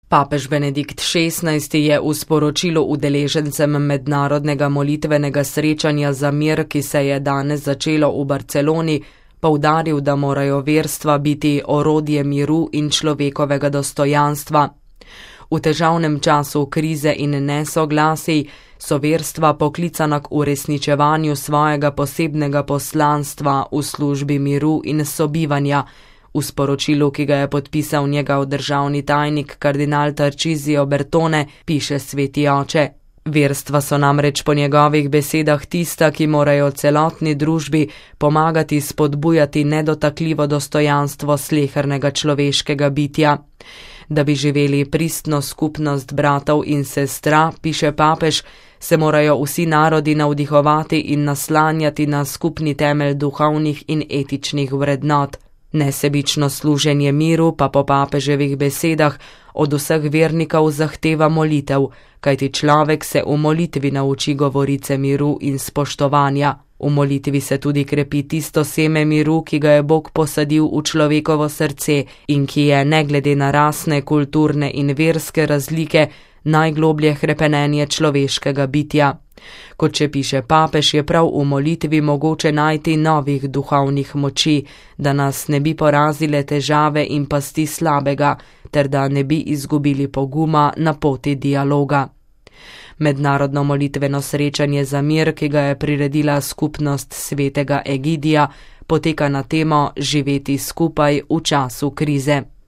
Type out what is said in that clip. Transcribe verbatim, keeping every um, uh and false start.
Papež Benedikt šestnajsti je v sporočilu udeležencem mednarodnega molitvenega srečanja za mir, ki se je danes začelo v Barceloni, poudaril, da morajo verstva biti orodje miru in človekovega dostojanstva. V težavnem času krize in nesoglasij so verstva poklicana k uresničevanju svojega posebnega poslanstva v službi miru in sobivanja. V sporočilu, ki ga je podpisal njegov državni tajnik kardinal Tarcisio Bertone, piše sveti oče. Verstva so namreč po njegovih besedah tista, ki morajo celotni družbi pomagati spodbujati nedotakljivo dostojanstvo slehernega človeškega bitja. Da bi živeli pristno skupnost bratov in sestra, piše papež, se morajo vsi narodi navdihovati in naslanjati na skupni temelj duhovnih in etičnih vrednot. Nesebično služenje miru pa po papeževih besedah od vseh vernikov zahteva molitev, kajti človek se v molitvi nauči govorice miru in spoštovanja. V molitvi se tudi krepi tisto seme miru, ki ga je Bog posadil v človekovo srce in ki je, ne glede na rasne, kulturne in verske razlike, najgloblje hrepenenje človeškega bitja. Kot če piše papež, je prav v molitvi mogoče najti novih duhovnih moči, da nas ne bi porazile težave in pasti slabega, ter da ne bi izgubili poguma na poti dialoga. Mednarodno molitveno srečanje za mir, ki ga je priredila skupnost svetega Egidija, poteka na temo živeti skupaj v času krize.